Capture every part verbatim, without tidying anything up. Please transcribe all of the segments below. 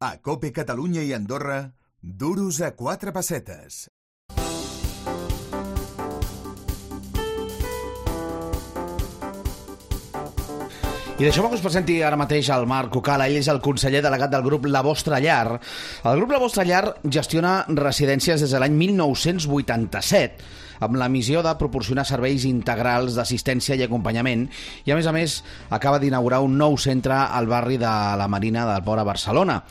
A COPE Catalunya i Andorra, duros a quatre pessetes. I deixeu-me que us presenti ara mateix el Marc Cucala. Ell és el conseller delegat del grup La Vostra Llar. El grup La Vostra Llar gestiona residències des de l'any mil nou-cents vuitanta-set, amb la missió de proporcionar serveis integrals d'assistència i acompanyament, i a més a més acaba d'inaugurar un nou centre al barri de la Marina del Port a Barcelona.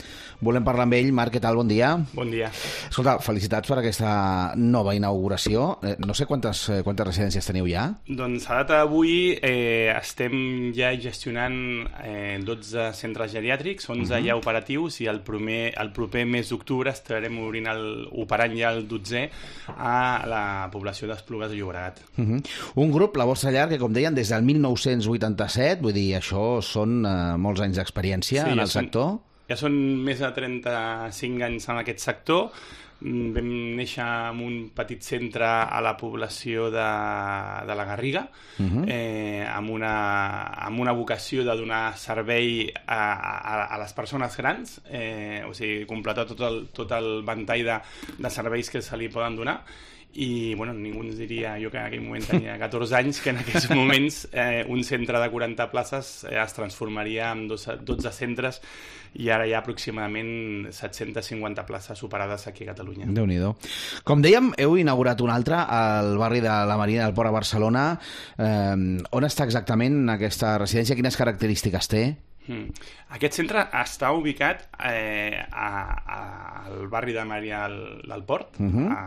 Volem parlar amb ell. Marc, què tal? Bon dia. Bon dia. Escolta, felicitats per aquesta nova inauguració. Eh, no sé quantes, eh, quantes residències teniu ja? Doncs a data d'avui eh, estem ja gestionant eh, dotze centres geriàtrics, onze uh-huh. ja operatius, i el proper, el proper mes d'octubre estarem obrint el, operant ja el dotzè a la població d'Esplugues de Llobregat. Uh-huh. Un grup, La Vostra Llar, que com deien, des del mil nou-cents vuitanta-set, vull dir, això són eh, molts anys d'experiència sí, en el són, sector. Ja són més de trenta-cinc anys en aquest sector. Vam néixer en un petit centre a la població de, de la Garriga, uh-huh. eh, amb, una, amb una vocació de donar servei a, a, a les persones grans, eh, o sigui, completar tot el, tot el ventall de, de serveis que se li poden donar. I bueno, ningú ens diria, jo que en aquell moment tenia catorze anys, que en aquests moments eh, un centre de quaranta places eh, es transformaria en dotze centres, i ara hi ha aproximadament set-centes cinquanta places operades aquí a Catalunya. Déu-n'hi-do. Com dèiem, heu inaugurat un altre al barri de la Marina del Port a Barcelona. Eh, on està exactament aquesta residència? Quines característiques té? Hmm. Aquest centre està ubicat eh, a, a, al barri de Maria del, del Port, uh-huh. a,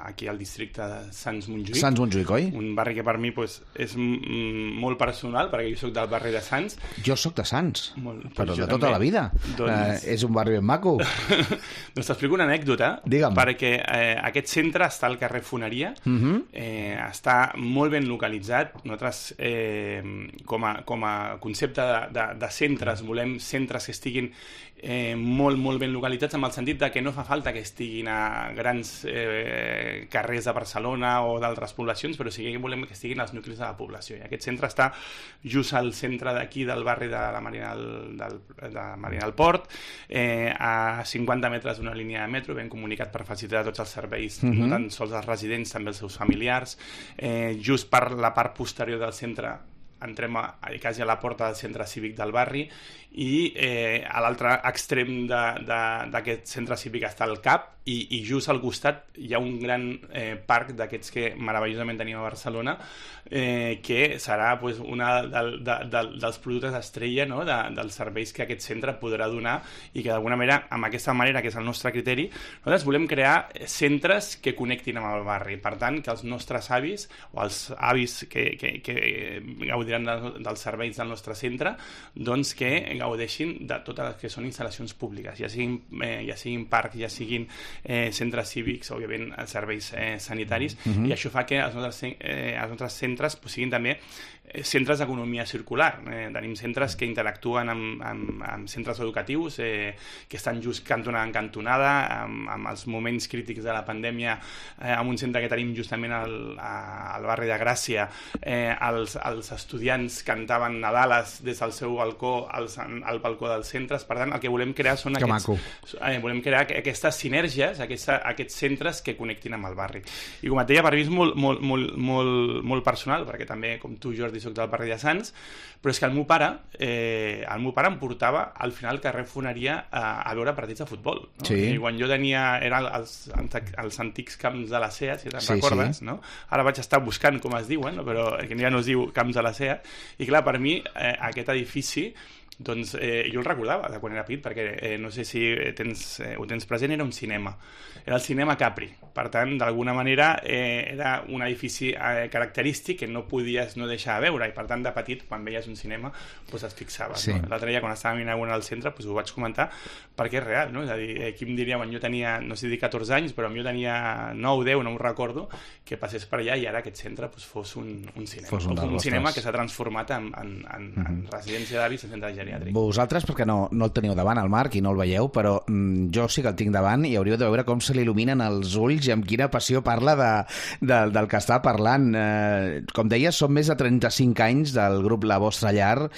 aquí al districte de Sants Montjuïc. Sants Montjuïc, oi? Un barri que per mi pues, és m- molt personal, perquè jo soc del barri de Sants. Jo soc de Sants, molt, però de tota també. la vida. Doncs... Eh, és un barri ben maco. Doncs t'explico una anècdota. Digue'm. Perquè eh, aquest centre està al carrer Foneria, uh-huh. eh, està molt ben localitzat. Nosaltres, eh, com, a, com a concepte de, de, de centres, volem centres que estiguin eh, molt, molt ben localitzats, amb el sentit de que no fa falta que estiguin a grans eh, carrers de Barcelona o d'altres poblacions, però sí que volem que estiguin als nuclis de la població. I aquest centre està just al centre d'aquí del barri de la Marina del, del, de la Marina del Port, eh, a cinquanta metres d'una línia de metro, ben comunicat per facilitar tots els serveis, uh-huh. no tan sols els residents, també els seus familiars. Eh, just per la part posterior del centre entrem a, a, quasi a la porta del centre cívic del barri, i eh, a l'altre extrem d'aquest centre cívic està el C A P, i, i just al costat hi ha un gran eh, parc d'aquests que meravellosament tenim a Barcelona, eh, que serà pues, una del, de, de, dels productes estrella, no? de, dels serveis que aquest centre podrà donar, i que d'alguna manera, amb aquesta manera, que és el nostre criteri, nosaltres volem crear centres que connectin amb el barri. Per tant, que els nostres avis, o els avis que, que, que gaudiran de, dels serveis del nostre centre, doncs que gaudeixin de totes les que són instal·lacions públiques, ja siguin, eh, ja siguin parcs, ja siguin eh, centres cívics, òbviament serveis eh, sanitaris, uh-huh. i això fa que els nostres, eh, els nostres centres pues, siguin també centres d'economia circular. Eh, tenim centres que interactuen amb, amb, amb centres educatius eh, que estan just cantonada en cantonada, amb, amb els moments crítics de la pandèmia, eh, amb un centre que tenim justament al, a, al barri de Gràcia. Eh, els, els estudiants cantaven Nadales des del seu balcó als, al balcó dels centres. Per tant, el que volem crear són que aquests, eh, volem crear aquestes sinergies, aquesta, aquests centres que connectin amb el barri. I com et deia, per mi és molt, molt, molt, molt, molt personal, perquè també, com tu, Jordi, soc del barri de Sants, però és que el meu pare eh, el meu pare em portava al final carrer Foneria a, a veure partits de futbol, no? Sí. I quan jo tenia, eren els, els antics camps de la SEA, si te'n sí, recordes, sí. no? Ara vaig estar buscant com es diuen, no? Però que ja no es diu camps de la SEA, i clar, per mi eh, aquest edifici, doncs eh, jo el recordava de quan era petit, perquè eh, no sé si tens, eh, ho tens present, era un cinema, era el cinema Capri. Per tant, d'alguna manera eh, era un edifici eh, característic que no podies no deixar de veure, i per tant de petit, quan veies un cinema, doncs et fixaves, sí. no? L'altre dia, quan estàvem inaugurant al centre, doncs ho vaig comentar, perquè és real, no? És a dir, eh, qui em diria, quan jo tenia, no sé dir catorze anys, però jo tenia nou, deu, no ho recordo, que passés per allà i ara aquest centre doncs, fos un, un cinema. Fos un, un cinema que s'ha transformat en, en, en, mm-hmm. en residència d'avis i centre geriàtric. Vosaltres, perquè no, no el teniu davant, el Marc, i no el veieu, però mm, jo sí que el tinc davant i hauríeu de veure com se li il·luminen els ulls i amb quina passió parla de, de, del que està parlant. Eh, com deies, són més de trenta-cinc anys del grup La Vostra Llar.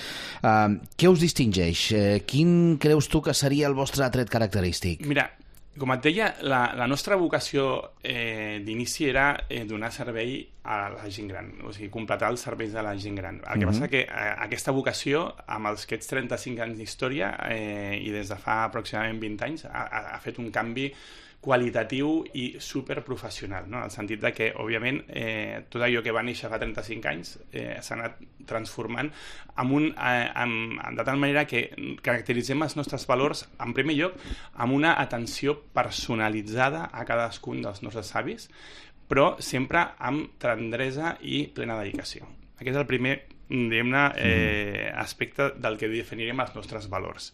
Eh, què us distingeix? Eh, quin creus tu que seria el vostre tret característic? Mira, com et deia, la, la nostra vocació eh, d'inici era eh, donar servei a la gent gran, o sigui, completar els serveis de la gent gran. El que mm-hmm. passa que eh, aquesta vocació, amb els aquests trenta-cinc anys d'història eh, i des de fa aproximadament vint anys, ha, ha fet un canvi qualitatiu i superprofessional, no? En el sentit de que, òbviament, eh, tot allò que va néixer fa trenta-cinc anys eh, s'ha anat transformant amb un, eh, amb, de tal manera que caracteritzem els nostres valors, en primer lloc, amb una atenció personalitzada a cadascun dels nostres avis, però sempre amb tendresa i plena dedicació. Aquest és el primer diguem-ne, eh, aspecte del que definirem els nostres valors.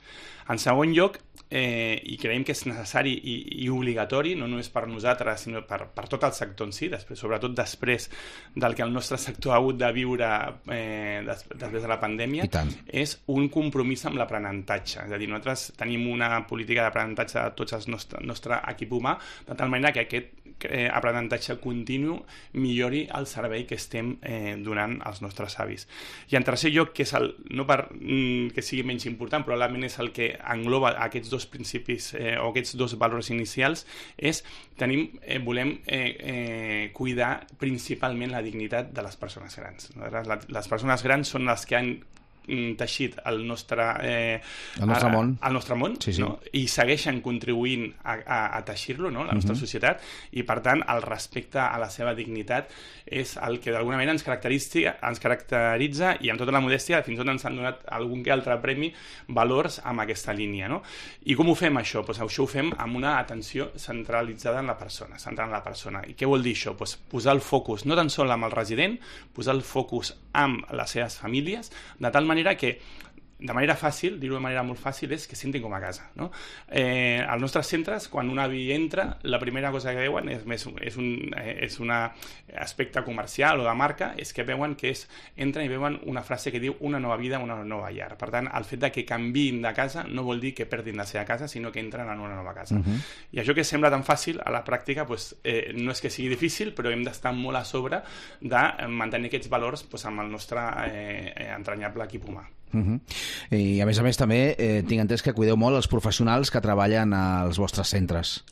En segon lloc, eh, i creiem que és necessari i, i obligatori, no només per nosaltres, sinó per, per tot el sector en si, després, sobretot després del que el nostre sector ha hagut de viure eh, des, després de la pandèmia, és un compromís amb l'aprenentatge. És a dir, nosaltres tenim una política d'aprenentatge de tots el nostre, nostre equip humà, de tal manera que aquest eh, aprenentatge continu millori el servei que estem eh, donant als nostres avis. I en tercer lloc, que és el, no per mm, que sigui menys important, probablement és el que engloba aquests dos principis eh, o aquests dos valors inicials, és tenim, eh, volem eh, eh, cuidar principalment la dignitat de les persones grans. Les persones grans són les que han teixit el nostre, eh, el nostre a, món, el nostre món sí, sí. No? I segueixen contribuint a, a, a teixir-lo, no? La nostra uh-huh. societat, i per tant el respecte a la seva dignitat és el que d'alguna manera ens caracteritza, ens caracteritza i amb tota la modèstia fins i tot ens han donat algun que altre premi valors amb aquesta línia, no? I com ho fem això? Pues això ho fem amb una atenció centralitzada en la persona, centrant en la persona. I què vol dir això? Pues posar el focus no tan sol amb el resident, posar el focus amb les seves famílies, de tal manera que de manera fàcil, dir-ho de manera molt fàcil, és que sentin com a casa, no? Eh, als nostres centres, quan un avi entra, la primera cosa que veuen és, més, és un és un aspecte comercial o de marca, és que veuen que és, entren i veuen una frase que diu una nova vida, una nova llar. Per tant, el fet de que canviïn de casa no vol dir que perdin la seva casa, sinó que entren en una nova casa. Uh-huh. I això que sembla tan fàcil, a la pràctica pues, eh, no és que sigui difícil, però hem d'estar molt a sobre de mantenir aquests valors pues, amb el nostre eh, entranyable equip humà. Uh-huh. I a més a més també eh, tinc entès que cuideu molt els professionals que treballen als vostres centres.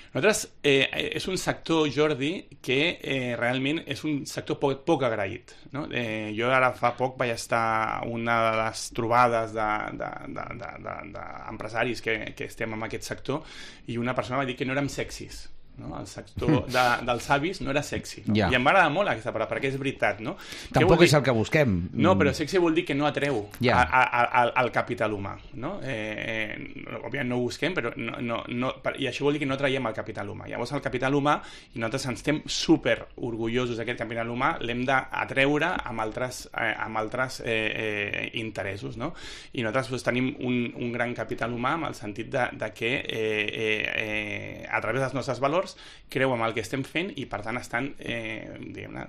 Nosaltres, eh, és un sector, Jordi, que eh, realment és un sector poc, poc agraït, no? Eh, jo ara fa poc vaig estar a una de les trobades d'empresaris de, de, de, de, que, que estem en aquest sector i una persona va dir que no érem sexis. No? El sector de, dels avis no era sexy, no? Ja. I em va agradar molt aquesta paraula, perquè és veritat, no? Tampoc és el que busquem. No, però sexy vol dir que no atreu ja. a, a, a, al capital humà, no? Eh, eh, òbviament no ho busquem, però no, no, no, i això vol dir que no traiem el capital humà. Llavors el capital humà, i nosaltres ens estem super orgullosos d'aquest capital humà, l'hem d'atreure amb altres, eh, amb altres eh, eh, interessos, no? I nosaltres doncs, tenim un, un gran capital humà en el sentit de, de que eh, eh, eh, a través dels nostres valors creu en el que estem fent i per tant estan eh,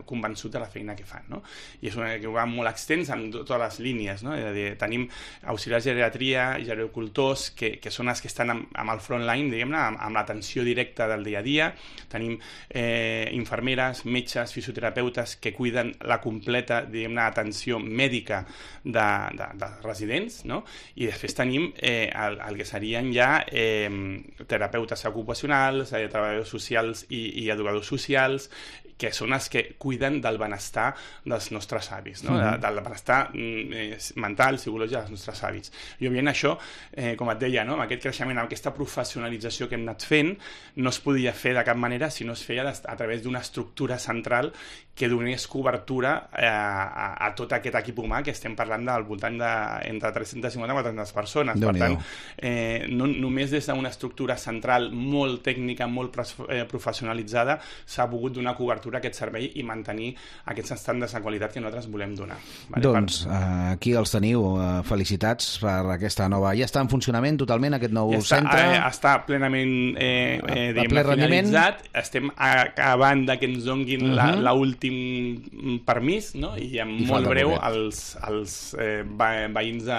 convençuts de la feina que fan, no? I és una que va molt extens en totes les línies, no? És a dir, tenim auxiliars de geriatria, gerocultors que, que són els que estan amb, amb el front line, diguem-ne, amb, amb l'atenció directa del dia a dia, tenim eh, infermeres, metges, fisioterapeutes que cuiden la completa, diguem-ne, atenció mèdica de, de, de residents, no? I després tenim eh, el, el que serien ja eh, terapeutes ocupacionals, eh, treballadors socials i, i educadors socials, que són els que cuiden del benestar dels nostres avis, no? de, del benestar eh, mental, psicològic dels nostres avis. I òbviament això, eh, com et deia, no? Amb aquest creixement, amb aquesta professionalització que hem anat fent, no es podia fer de cap manera si no es feia a través d'una estructura central que donés cobertura eh, a, a tot aquest equip humà, que estem parlant del voltant de entre tres-centes cinquanta i quatre-centes persones. Per tant, eh, no, només des d'una estructura central molt tècnica, molt eh, professionalitzada, s'ha pogut donar cobertura a aquest servei i mantenir aquests estàndards de qualitat que nosaltres volem donar. Vale? Doncs per... aquí els teniu. Felicitats per aquesta nova... Ja està en funcionament totalment aquest nou ja està, centre? Eh, està plenament eh, eh, diguem, finalitzat. Estem acabant de que ens donguin uh-huh. l'última l'últim permís, no? I en I molt falta breu poquet. els, els eh, veïns de,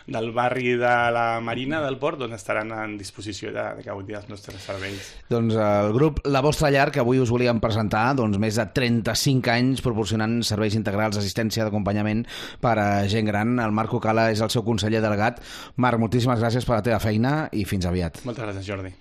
del barri de la Marina del Port doncs estaran en disposició de, de gaudir dels nostres serveis. Doncs el grup La Vostra Llar, que avui us volíem presentar, doncs més de trenta-cinc anys proporcionant serveis integrals, assistència d'acompanyament per a gent gran. El Marc Cucala és el seu conseller delegat. Marc, moltíssimes gràcies per la teva feina i fins aviat. Moltes gràcies, Jordi.